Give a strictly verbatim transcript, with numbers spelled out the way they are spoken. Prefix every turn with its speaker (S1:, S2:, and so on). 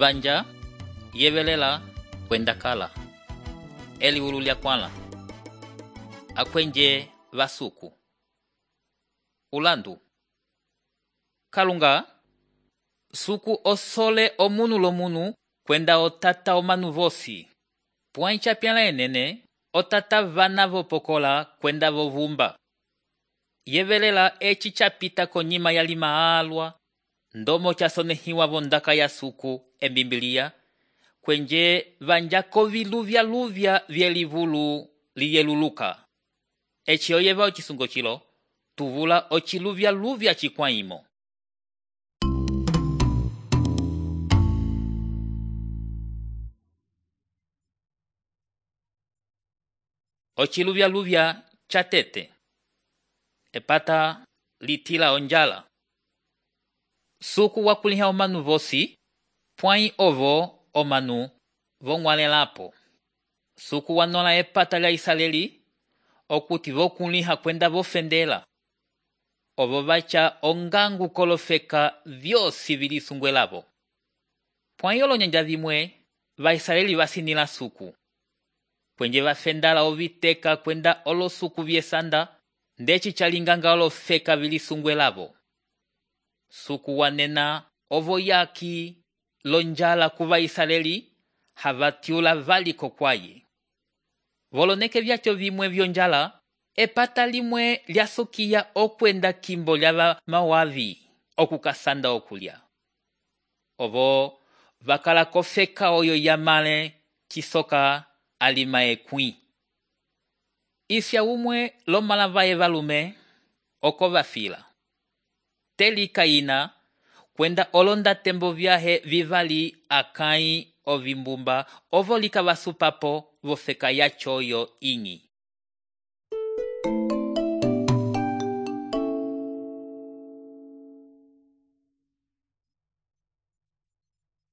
S1: vanja yevelela kwenda kala eliwulu lya kwala akwenje vasuku ulandu kalunga suku osole omunu lomunu kwenda otata omanu vosi puancha pyala enene otata vana vopokola kwenda vovumba yevelela eci chapita konyima ya lima alwa ndomo chasonehiwa vondaka ya suku embimbilia kwenje vanjako viluvya luvya vyelivulu liyeluluka eci oyeva ocisungo chilo tuvula ociluvya luvya cikwaimo. Ociluvya luvya chatete epata litila onjala suku wakuliha omanu vosi pwai ovo omanu vong'walelapo suku wanola epata lya Isaleli okuti vokuliha kwenda vofendela ovo vacha ongangu kolofeka vyosi vilisungwelavo pwai olonyanja vimwe va Isaleli vasinila suku kwenje vafendala oviteka kwenda olosuku vyesanda ndeci chalinganga olofeka vilisungwelavo suku wanena ovo yaki lonjala kuva Isaleli havatiula valiko kwaye voloneke vyacho vimwe vyonjala epata limwe lyasukiya okwenda kimbo lyava mawavi okukasanda okulya ovo vakala kofeka oyo yamale chisoka alima ekwi isya umwe lomalavaye valume oko vafila telika ina kwenda olonda tembo vyahe vivali akai ovimbumba ovo lika vasupapo vofeka yacho oyo ingi